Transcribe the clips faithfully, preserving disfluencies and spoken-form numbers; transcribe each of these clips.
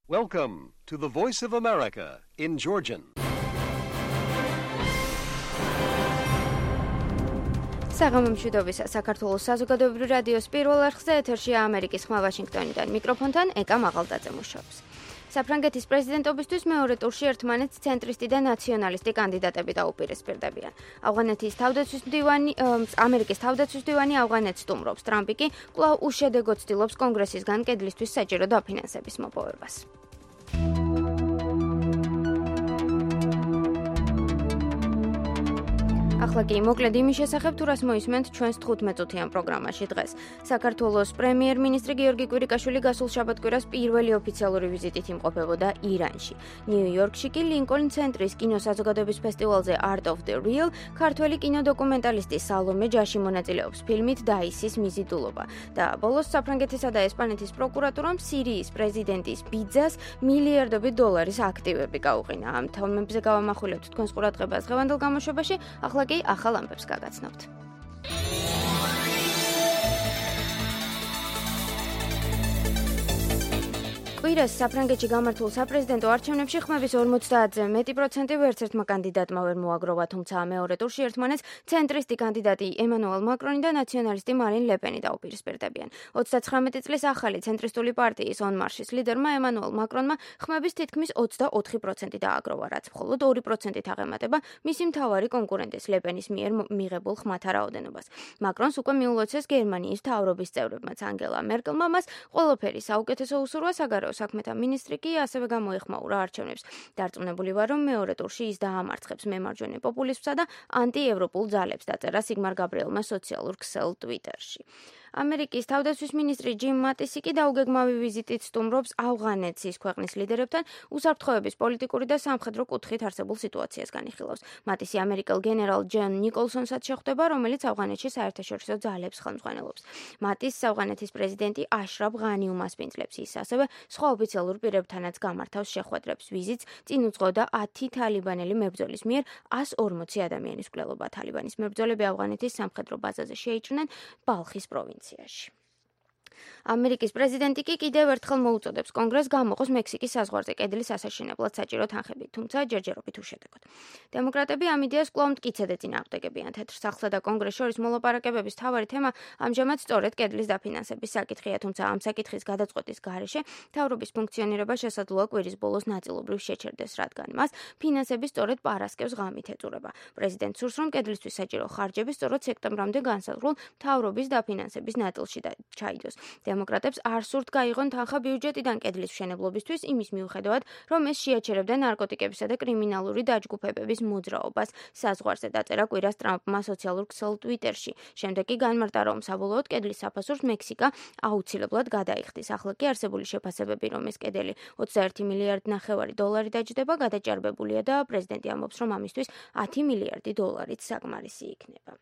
Welcome to the Voice of America in Georgian. საღამომშვიდობისა საქართველოს საზოგადოებრივი რადიოს პირველ არხზე ეთერშია ამერიკის ხმა ვაშინგტონიდან. მიკროფონთან ეკა მაღალდაძე მუშაობს. საფრანგეთის პრეზიდენტობისთვის მეორე ტურში ერთმანეთს ცენტრისტი და ნაციონალისტი კანდიდატები დაუპირისპირდებიან. ავღანეთის თავდაცვის მდივანი, ამერიკის თავდაცვის მდივანი ავღანეთს სტუმრობს. ტრამპი კი კვლავ უშედეგოდ ცდილობს კონგრესისგან კედლისთვის საჭირო დაფინანსების მოპოვებას. ახლა კი მოკლედ იმის შესახებ, თუ რას მოისმენთ ჩვენს თხუთმეტ-წუთიან პროგრამაში დღეს. საქართველოს პრემიერ-მინისტრი გიორგი კვირიკაშვილი გასულ შაბათ-კვირას პირველი ოფიციალური ვიზიტით იმყოფებოდა ირანში. ნიუ-იორკში კი ლინკოლნ ცენტრის კინოსაზოგადოების ფესტივალზე Art of the Real ქართველი კინოდოკუმენტალისტი სალომე ჯაში მონაწილეობს ფილმით დაისის მიზიდულობა. და ბოლოს საფრანგეთისა და ესპანეთის პროკურატურამ სირიის პრეზიდენტის ბიძას მილიარდობით დოლარის აქტივები გაუყინა. ამ თემებზე გავამახვილებთ თქვენს ყურადღებას დღევანდელ გამოშვებაში. ახლა კი ახალ ამბებს გაგაცნობთ. კვირას საფრანგეთში გამართულ საპრეზიდენტო არჩევნებში ხმების ორმოცდაათზე მეტი პროცენტი ვერც ერთმა კანდიდატმა ვერ მოაგროვა, თუმცა მეორე ტურში ერთმანეთს ცენტრისტი კანდიდატი ემანუელ მაკრონი და ნაციონალისტი მარინ ლეპენი დაუპირისპირდებიან. ოცდაცხრამეტი წლის ახალი ცენტრისტული პარტიის On Marche-ის ლიდერმა ემანუელ მაკრონმა ხმების თითქმის ოცდაოთხი პროცენტი დააგროვა, რაც მხოლოდ ორი პროცენტით აღემატება მისი მთავარი კონკურენტის ლეპენის მიერ მიღებულ ხმათა რაოდენობას. მაკრონს უკვე მიულოცეს გერმანიის მთავრობის წევრებმაც ანგელა მერკელმა მას ყველაფერი საუკეთესო უსურვა, საგარეო საქმეთა მინისტრი კი ასევე გამოეხმაურა არჩევნებს. დარწმუნებული ვარ, რომ მეორე ტურში ის დაამარცხებს მემარჯვენე პოპულიზმსა და ანტიევროპულ ძალებს, დაწერა სიგმარ გაბრიელმა სოციალურ ქსელ ტვიტერში. ამერიკის თავდაცვის მინისტრი ჯიმ მატისი კი დაუგეგმავი ვიზიტით სტუმრობს ავღანეთს ის ქვეყნის ლიდერებთან უსაფრთხოების პოლიტიკური და სამხედრო კუთხით არსებულ სიტუაციას განიხილავს. მატისი ამერიკელ გენერალ ჯონ ნიკოლსონსაც შეხვდება, რომელიც ავღანეთში საერთაშორისო ძალებს ხელმძღვანელობს. მატისს ავღანეთის პრეზიდენტი აშრაფ ღანი უმასპინძლებს. ის ასევე სხვა ოფიციალურ პირებთანაც გამართავს შეხვედრებს. ვიზიტს წინ უძღოდა ათი თალიბანელი მებრძოლის მიერ εκατს ორმოცი ადამიანის მკვლელობა. თალიბანის მებრძოლები ავღანეთის სამხედრო ბაზაზე შეიჭრნენ ბალხის პროვინციაში. ამერიკის პრეზიდენტი კი კიდევ ერთხელ მოუწოდებს კონგრესს გამოყოს მექსიკის საზღვარზე კედლის ასაშენებლად საჭირო თანხები, თუმცა ჯერჯერობით უშედეგოდ. დემოკრატები ამ იდეას კვლავ მტკიცედ ეწინააღმდეგებიან. თეთრ სახლსა და კონგრესს შორის მოლაპარაკებების მთავარი თემა ამჟამად სწორედ კედლის დაფინანსების საკითხია, თუმცა ამ საკითხის გადაწყვეტის გარეშე მთავრობის ფუნქციონირება შესაძლოა კვირის ბოლოს ნაწილობრივ შეჩერდეს, რადგან მას ფინანსები სწორედ პარასკევს ღამით ეწურება. პრეზიდენტს სურს, რომ კედლისთვის საჭირო ხარჯები სწორედ სექტემბრამდე განსაზღვრულ მთავრობის დაფინანსების ნაწილში ჩაიდოს. დემოკრატებს არ სურთ გაიღონ თანხა ბიუჯეტიდან კედლის მშენებლობისთვის, იმის მიუხედავად, რომ ეს შეაჩერებდა ნარკოტიკებისა და კრიმინალური დაჯგუფებების მოძრაობას საზღვარზე, დაწერა კვირას ტრამპმა სოციალურ ქსელ ტვიტერში. შემდეგ კი განმარტა, რომ საბოლოოდ კედლის საფასურს მექსიკა აუცილებლად გადაიხდის. ახლა კი არსებული შეფასებები, რომ ეს კედელი ოცდაერთი მილიარდი ნახევარი დოლარი დაჯდება, გადაჭარბებულია და პრეზიდენტი ამბობს, რომ ამისთვის ათი მილიარდი დოლარით საკმარისი იქნება.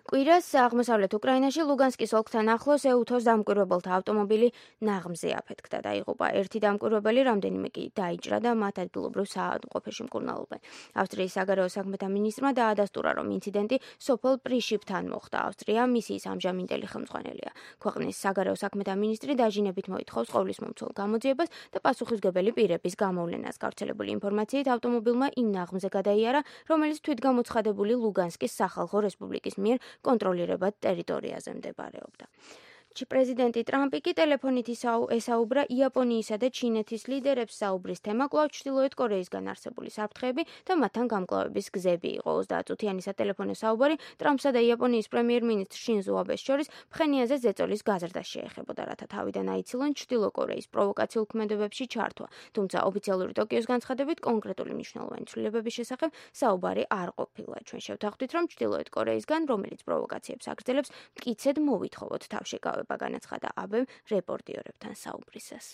კვირას აღმოსავლეთ უკრაინაში ლუგანსკის ოლქთან ახლოს ეუთოს დამკვირვებელთა ავტომობილი ნაღმზე აფეთქდა. დაიღუპა ერთი დამკვირვებელი, რამდენიმე კი დაიჭრა და მათ ადგილობრივ საავადმყოფოში მკურნალობენ. ავსტრიის საგარეო საქმეთა მინისტრმა დაადასტურა, რომ ინციდენტი სოფელ პრიშიპთან მოხდა. ავსტრია მისიის ამჟამინდელი ხელმძღვანელია. ქვეყნის საგარეო საქმეთა მინისტრი დაჟინებით მოითხოვს ყოვლისმომცველ გამოძიებას და პასუხისმგებელი პირების გამოვლენას. გავრცელებული ინფორმაციით ავტომობილმა იმ ნაღმზე გადაიარა, რომელიც თვითგამოცხადებული ლუგანსკის სახალხო რესპუბლიკის მიერ კონტროლირებად ტერიტორიაზე მდებარეობდა. პრეზიდენტი ტრამპი კი ტელეფონით ესაუბრა იაპონიისა და ჩინეთის ლიდერებს. საუბრის თემა კვლავ ჩრდილოეთ კორეისგან არსებული საფრთხეები და მათთან გამკლავების გზები იყო. ოცდაათწუთიანი სატელეფონო საუბარი ტრამპსა და იაპონიის პრემიერ-მინისტრ შინზო აბეს შორის ფხენიაზე ზეწოლის გაზრდას შეეხებოდა, რათა თავიდან აიცილონ ჩრდილო კორეის პროვოკაციულ ქმედებებში ჩართვა. თუმცა ოფიციალური ტოკიოს განცხადებით კონკრეტული მნიშვნელოვანი ცვლილებების შესახებ საუბარი არ ყოფილა. ჩვენ შევთანხმდით, რომ ჩრდილოეთ კორეისგან, რომელიც პროვოკაციებს აგრძელებს, მტკიცედ მოვითხოვოთ თავშეკავება. განაცხადა აბემ რეპორტიორებთან საუბრისას.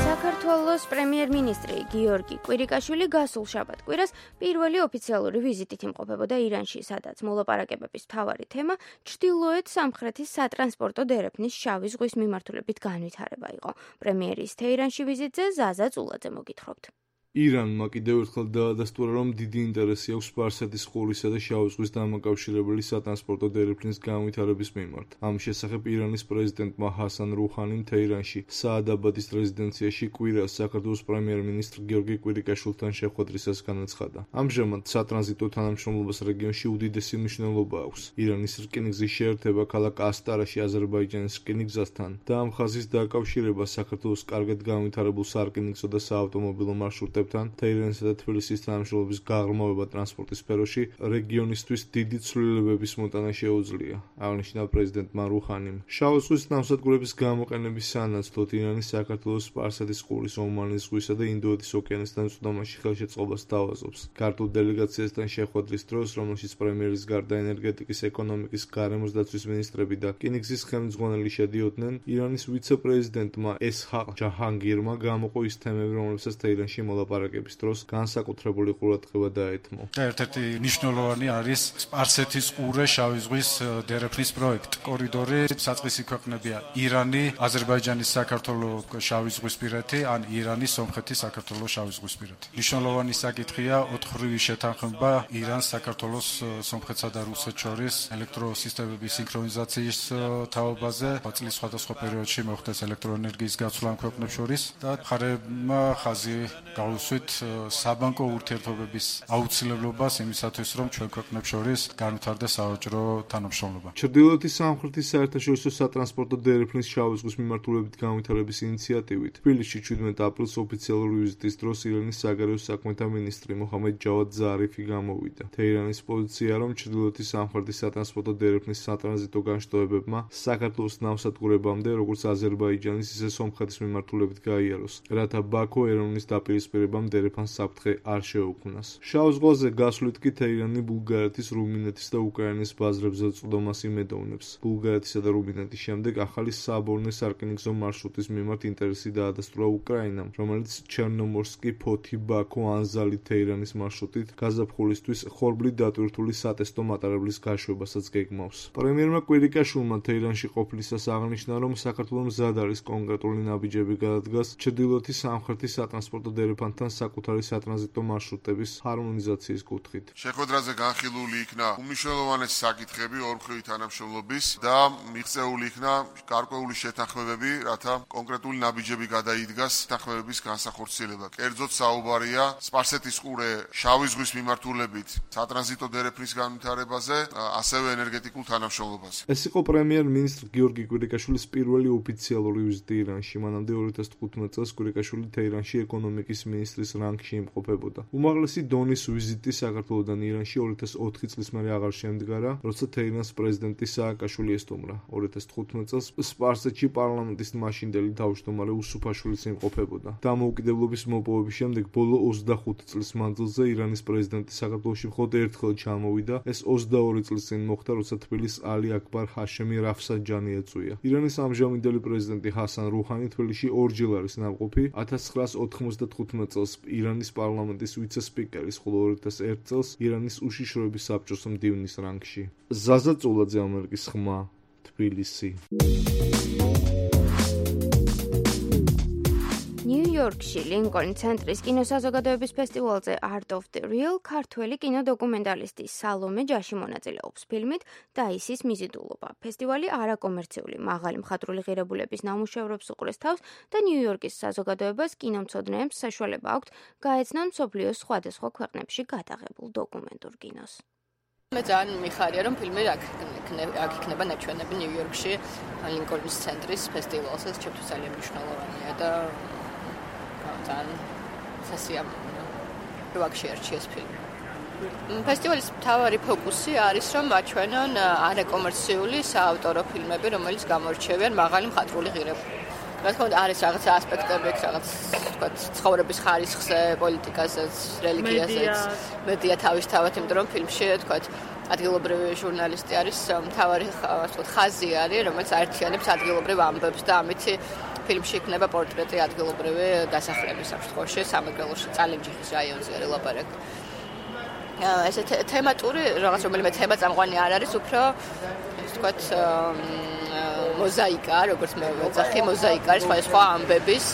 საქართველოს პრემიერ-მინისტრი გიორგი კვირიკაშვილი გასულ შაბათ-კვირას პირველი ოფიციალური ვიზიტით იმყოფებოდა ირანში, სადაც მოლაპარაკებების მთავარი თემა ჩრდილოეთ სამხრეთის სატრანსპორტო დერეფნის შავი ზღვის მიმართულებით განვითარება იყო. პრემიერის თეირანში ვიზიტზე ზაზა წულაძე მოგითხრობთ. ირანმა კიდევ ერთხელ დაადასტურა, რომ დიდი ინტერესი აქვს სპარსეთის ყურისა და შავი ზღვის დამაკავშირებელი სატრანსპორტო დერეფნის განვითარების მიმართ. ამ შესახებ ირანის პრეზიდენტმა ჰასან რუჰანიმ თეირანში საადაბადის რეზიდენციაში კვირას საქართველოს პრემიერ-მინისტრ გიორგი კვირიკაშვილთან შეხვედრისას განაცხადა. ამჟამად სატრანზიტო თანამშრომლობას რეგიონში უდიდესი მნიშვნელობა აქვს. ირანის რკინიგზის შეერთება ქალაქ ასტარაში აზერბაიჯანის რკინიგზასთან და ამ ხაზის დაკავშირება საქართველოს კარგად განვითარებულ სარკინიგზო და საავტომობილო მარშრუტებთან თეირანსა და თბილისის თანამშრომლობის გაღრმავება ტრანსპორტის სფეროში რეგიონისთვის დიდი ცვლილებების მოტანა შეუძლია, აღნიშნა პრეზიდენტმა რუჰანიმ. შავი ზღვის ნავსადგურების გამოყენების სანაცვლოდ ირანი საქართველოს სპარსეთის ყურის, ომანის ზღვისა და ინდოეთის ოკეანესთან წვდომაში ხელშეწყობას თავაზობს. ქართულ დელეგაციასთან შეხვედრის დროს, რომელშიც პრემიერის გარდა ენერგეტიკის, ეკონომიკის, გარემოს დაცვის მინისტრები და რკინიგზის ხელმძღვანელი შედიოდნენ, ირანის ვიცე-პრეზიდენტმა ესჰაყ ჯაჰანგირმა გამოყო ის თემები, რომლებსაც თეირანში მოლაპარაკების დროს განსაკუთრებული ყურადღება დაეთმო. ერთ-ერთი მნიშვნელოვანი არის სპარსეთის ყურე შავი ზღვის დერეფნის პროექტი. კორიდორი საწყისი ქვეყნებია ირანი, აზერბაიჯანი, საქართველოს შავი ზღვისპირეთი, ან ირანი, სომხეთი, საქართველოს შავი ზღვისპირეთი. მნიშვნელოვანი საკითხია ოთხრივი შეთანხმება ირანს, საქართველოს, სომხეთსა და რუსეთს შორის ელექტროსისტემების სინქრონიზაციის თაობაზე. წლის სხვადასხვა პერიოდში მოხდეს ელექტროენერგიის გაცვლა ამ ქვეყნებს შორის და მხარეებმა ხაზი გავუსვით საბანკო ურთიერთობების აუცილებლობას იმისათვის, რომ ჩვენ ქვეყნებს შორის განვითარდეს სავაჭრო თანამშრომლობა. ჩრდილოეთის სამხრეთის საერთაშორისო სატრანსპორტო დერეფნის შავი ზღვის მიმართულებით განვითარების ინიციატივით თბილისში ჩვიდმეტ აპრილს ოფიციალური ვიზიტის დროს ირანის საგარეო საქმეთა მინისტრი მოჰამედ ჯავად ზარიფი გამოვიდა. თეირანის პოზიციაა, რომ ჩრდილოეთის სამხრეთის სატრანსპორტო დერეფნის სატრანზიტო განშტოებებმა საქართველოს ნავსადგურებამდე, როგორც აზერბაიჯანის, ისე სომხეთის მიმართულებით გაიაროს, რათა ბაქო ერევნის დაპირისპირებამ დერეფანს საფრთხე არ შეუქმნას. შავ ზღვაზე გასვლით კი თეირანი ბულგარეთის, რუმინეთის და უკრაინის ბაზრებზე წვდომას იმედოვნებს. ბულგარეთისა და რუმინეთის შემდეგ ახალი საბორნე სარკინიგზო მარშრუტის მიმართ ინტერესი დაადასტურა უკრაინამ, რომელიც ჩერნომორსკი, ფოთი, ბაქო, ანზალი, თეირანის მარშრუტით გაზაფხულისთვის ხორბლით დატვირთული სატესტო მატარებლის გაშვებასაც გეგმავს. პრემიერმა კვირიკაშვილმა თეირანში ყოფნისას აღნიშნა, რომ საქართველოს მზად არის კონკრეტული ნაბიჯები გადადგას ჩრდილოეთის სამხრეთის სატრანსპორტო დერეფანთან საკუთარი სატრანზიტო მარშრუტების ჰარმონიზაციის კუთხით. შეხვედრაზე განხილული იქნა უმნიშვნელოვანესი საკითხები ორმხრივი თანამშრომლობის და მიღწეული იქნა გარკვეული შეთანხმებები, რათა კონკრეტული ნაბიჯები გადაიდგას შეთანხმებების განსახორციელებლად. კერძოდ საუბარია სპარსეთის ყურე შავი ზღვის მიმართულებით სატრანზიტო დერეფნის განვითარებაზე, ასევე ენერგეტიკულ თანამშრომლობაზე. ეს იყო პრემიერ-მინისტრ გიორგი კვირიკაშვილის პირველი ოფიციალური ვიზიტი ირანში. მანამდე ორი ათას თხუთმეტ წელს კვირიკაშვილი თეირანში ეკონომიკის მინისტრის რანგში იმყოფებოდა. უმაღლესი დონის ვიზიტი საქართველოდან ირანში ორი ათას ოთხი წლის მერე აღარ შემდგარა, როცა თეირანს პრეზიდენტი სააკაშვილი ესტუმრა. ორი ათას თხუთმეტ წელს სპარსეთში პარლამენტის მაშინდელი თავმჯდომარე უსუფაშვილიც იმყოფებოდა. დამოუკიდებლობის მოპოვების შემდეგ ბოლო ოცდახუთი წლის მანძილზე ირანის პრეზიდენტი საქართველოში მხოლოდ ერთხელ ჩამოვიდა. ეს ოცდაორი წლის წინ მოხდა, როცა თბილისს ალი აკბარ ჰაშემი რაფსანჯანი ეწვია. ირანის ამჟამინდელი პრეზიდენტი ჰასან რუჰანი თბილისში ორჯერ არის ნამყოფი. ათას ცხრაას ოთხმოცდათხუთმეტ წელს ირანის პარლამენტის ვიცე-სპიკერის, ხოლო ორი ათას ერთ წელს ირანის უშიშროების საბჭოს მდივნის რანგში. ზაზა წულაძე, ამერიკის ხმა, თბილისი. ნიუ-იორკში ლინკოლნის ცენტრის კინოსაზოგადოების ფესტივალზე Art of the Real ქართველი კინოდოკუმენტალისტი სალომე ჯაში მონაწილეობს ფილმით დაისის მიზიდულობა. ფესტივალი არაკომერციული, მაღალი მხატვრული ღირებულების ნამუშევრებს უყურეს თავს და ნიუ-იორკის საზოგადოებას კინომცოდნეებს საშუალება აქვთ გაეცნონ მსოფლიოს სხვადასხვა ქვეყნებში გადაღებულ დოკუმენტურ კინოს. მე ძალიან მიხარია, რომ ფილმი აქ იქნება ნაჩვენები ნიუ-იორკში ლინკოლნის ცენტრის ფესტივალზე, ეს ჩემთვის ძალიან მნიშვნელოვანია და ძალიან სასიამოვნოა, რომ აქ შეარჩიეს ფილმი. ფესტივალის მთავარი ფოკუსი არის, რომ აჩვენონ არაკომერციული საავტორო ფილმები, რომელიც გამორჩევიან მაღალი მხატვრული ღირებულებით. რა თქმა უნდა, არის რაღაც ასპექტები, რაღაც თქვა ცხოვრების ხარისხზე, პოლიტიკაზეც, რელიგიაზეც, მედია თავისთავად, იმიტომ რომ ფილმში თქვა ადგილობრივი ჟურნალისტი არის მთავარი ასე ხაზი არის, რომელიც აერთიანებს ადგილობრივ ამბებს და ამით ფილმში იქნება პორტრეტი ადგილობრივი დასახლების სამშობლოში, სამეგრელოში, წალენჯიხის რაიონზე არის ლაპარაკი. ესე თემატური რაღაც რომელიმე თემა წამყვანი არ არის, უფრო ასე ვთქვათ მოზაიკა, როგორც მე ვეძახი, მოზაიკა არის სხვადასხვა ამბების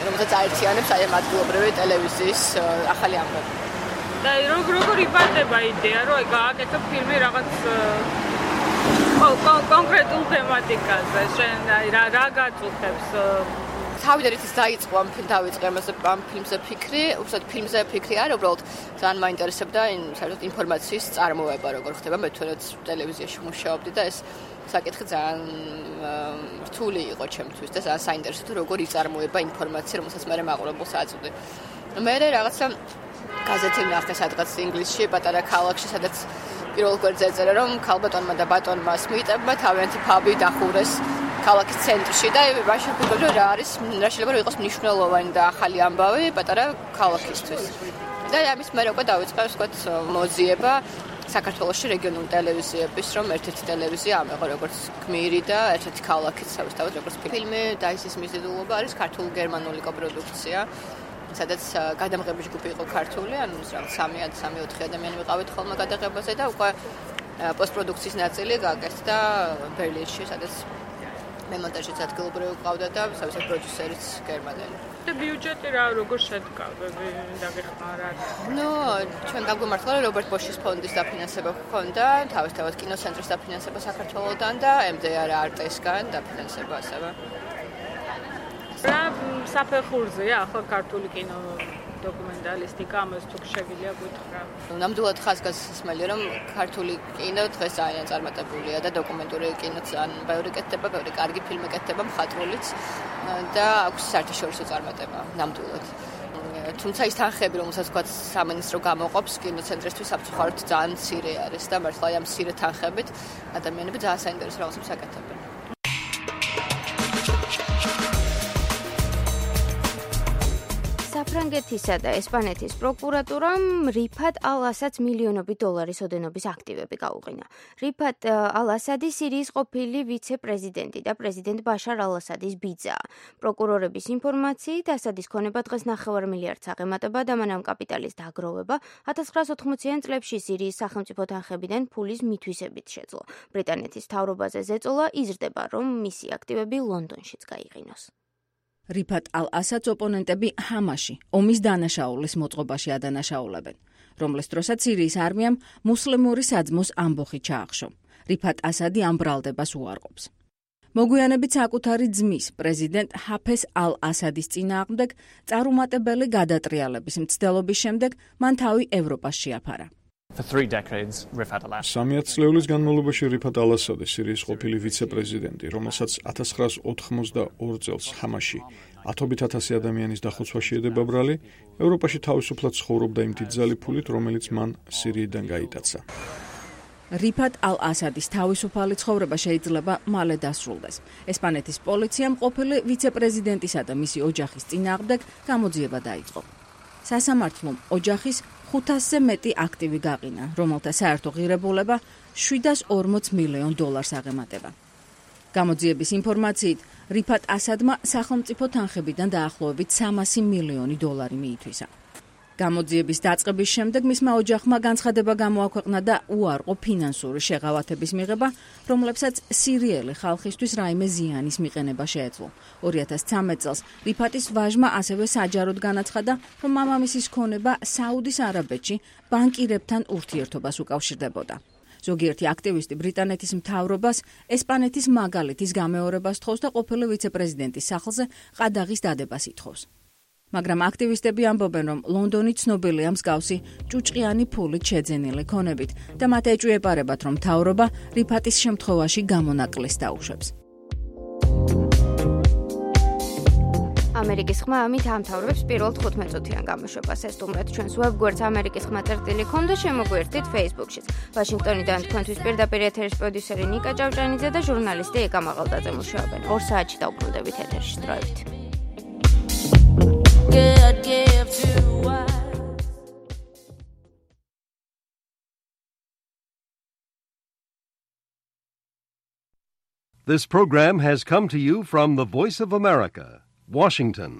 რომელსაც აერთიანებს აი ამ ადგილობრივი ტელევიზიის ახალი ამბები. და როგორ იბადება იდეა, რომ აი გააკეთო ფილმი რაღაც კონკრეტულ თემატიკაზე, შენ აი რა რა გაწუხებს? თავიდან ის დაიწყო ამ ფილმ დავიწყე ამ ფილმზე ფიქრი, უბრალოდ ფილმზე ფიქრი არა, უბრალოდ ძალიან მაინტერესებდა საერთოდ ინფორმაციის წარმოება, როგორ ხდება, მე თვითონაც ტელევიზიაში მუშაობდი და ეს საკითხი ძალიან რთული იყო ჩემთვის და ძალიან საინტერესო როგორ იწარმოება ინფორმაცია, რომელსაც მე მაყურებელს აწვდი. მე რაღაცა გაზეთი ვნახე სადღაც ინგლისში, პატარა ქალაქში, სადაც პირველ გვერდზე ეწერა, რომ ქალბატონმა და ბატონმა სმიტებმა თავიანთი ფაბი დახურეს ქალაქის ცენტრში და მაშინ ვფიქრობ, რომ რა არის, რა შეიძლება რომ იყოს მნიშვნელოვანი და ახალი ამბავი პატარა ქალაქისთვის. და ამის მერე უკვე დავიწყე, ვთქვათ, მოძიება საქართველოში რეგიონულ ტელევიზიების, რომ ერთ-ერთი ტელევიზია ამეღო როგორც გმირი და ერთ-ერთი ქალაქიც თავისთავად როგორც ფილმი და ისის მიზიდულობა არის ქართულ-გერმანული კოპროდუქცია, სადაც გადამღები ჯგუფი იყო ქართული, ანუ რაღაც სამი-ოთხი ადამიანი ვიყავით ხოლმე გადაღებაზე და უკვე პოსტპროდუქციის ნაწილი გაკეთდა ბერლინში, სადაც მემონტაჟიც ადგილობრივი ყავდა და საერთოდ პროდიუსერიც გერმანელი. და ბიუჯეტი რა როგორ შედგა? დაგეხმარა. ნუ, ჩვენ გაგვიმართლა რომ რობერტ ბოშის ფონდის დაფინანსება ჰქონდა, თავისთავად კინოცენტრის დაფინანსება საქართველოსთან და ემ დე არ არტესგან დაფინანსება ასევე. რა საფეხურზეა ახლა ქართული კინო დოკუმენტალისტიკა, ამას თუ შეგვიძლია გითხრა. ნამდვილად ხაზგასმელი რომ ქართული კინო დღეს ძალიან წარმატებულია და დოკუმენტური კინო ძალიან ბევრი კეთდება, ბევრი კარგი ფილმი კეთდება, მხატვრულიც და აქვს საერთაშორისო წარმატება ნამდვილად. თუმცა ის თანხები, რომელსაც თქვა სამინისტრო გამოყოფს კინოცენტრისთვის საფრთხოდ ძალიან მცირე არის და მართლა ამ მცირე თანხებით ადამიანები ძალიან საინტერესო რაღაცებს აკეთებენ. საფრანგეთისა და ესპანეთის პროკურატურამ რიფატ ალ-ასადს მილიონობით დოლარის ოდენობის აქტივები გაუყინა. რიფატ ალ-ასადი სირიის ყოფილი ვიცე-პრეზიდენტი და პრეზიდენტ ბაშარ ალ-ასადის ბიძაა. პროკურორების ინფორმაციით, ასადის ქონება დღეს ნახევარ მილიარდს აღემატება და მან ამ კაპიტალის დაგროვება ათას ცხრაას ოთხმოციან წლებში სირიის სახელმწიფო თანხებიდან ფულის მითვისებით შეძლო. ბრიტანეთის მთავრობაზე ზეწოლა იზრდება, რომ მისი აქტივები ლონდონშიც გაიყინოს. რიფატ ალ-ასადს ოპონენტები ჰამაში, ომის დანაშაულის მოწყობაში ადანაშაულებენ, რომლის დროსაც სირიის არმიამ მუსლიმური საძმოს ამბოხი ჩაახშო. რიფატ ასადი ამ ბრალდებას უარყოფს. მოგვიანებით საკუთარი ძმის, პრეზიდენტ ჰაფეზ ალ-ასადის წინააღმდეგ წარუმატებელი გადატრიალების მცდელობის შემდეგ მან თავი ევროპას შეაფარა. სამი ათწლეულის განმავლობაში რიფატ ალ-ასადი სირიის ყოფილი ვიცე-პრეზიდენტი, რომელსაც ათას ცხრაას ოთხმოცდაორ წელს ჰამაში ათობით ათასი ადამიანის დახოცვაში ედება ბრალი, ევროპაში თავისუფლად ცხოვრობდა იმ დიდძალი ფულით, რომელიც მან სირიიდან გაიტაცა. რიფატ ალ-ასადის თავისუფალი ცხოვრება შეიძლება მალე დასრულდეს. ესპანეთის პოლიციამ ყოფილი ვიცე-პრეზიდენტისა და მისი ოჯახის წინააღმდეგ გამოძიება დაიწყო. სასამართლომ ოჯახის ხუთასზე მეტი აქტივი გაყინა, რომელთა საერთო ღირებულება შვიდას ორმოც მილიონ დოლარს აღემატება. გამოძიების ინფორმაციით, რიფატ ასადმა სახელმწიფო თანხებიდან დაახლოებით სამასი მილიონი დოლარი მიითვისა. გამოძიების დაწყების შემდეგ მისმა ოჯახმა განცხადება გამოაქვეყნა და უარყო ფინანსური შეღავათების მიღება, რომლებსაც სირიელი ხალხისთვის რაიმე ზიანის მიყენება შეეძლო. ორი ათას ცხრამეტ წელს რიფატის ვაჟმა ასევე საჯაროდ განაცხადა, რომ მამამისის ქონება საუდის არაბეთში ბანკირებთან ურთიერთობას უკავშირდებოდა. ზოგიერთი აქტივისტი ბრიტანეთის მთავრობას ესპანეთის მაგალითის გამეორებას თხოვს და ყოფილი ვიცე-პრეზიდენტის სახლზე ყადაღის დადებას ითხოვს. მაგრამ აქტივისტები ამბობენ, რომ ლონდონი ცნობილია მსგავსი ჭუჭყიანი ფულით შეძენილი ქონებით და მათ ეჭვიებარებათ, რომ მთავრობა რიფატის შემთხვევაში გამონაკლისს დაუშვებს. ამერიკის ხმა ამით ამთავრებს პირველ თხუთმეტ წუთიან გამოშვებას. ეს სტუმრად ჩვენს ვებგვერდს ამერიკის ხმა წერტილი ქონდა, შემოგვიერთდით Facebook-შიც. ვაშინგტონიდან თქვენთვის პირდაპირ ეთერის პროდიუსერი ნიკა ჭავჭანიძე და ჟურნალისტი ეკა მაღალდაძე მუშაობენ. ორ საათში დავბრუნდებით ეთერში. დროებით. God give to us. This program has come to you from the Voice of America, Washington.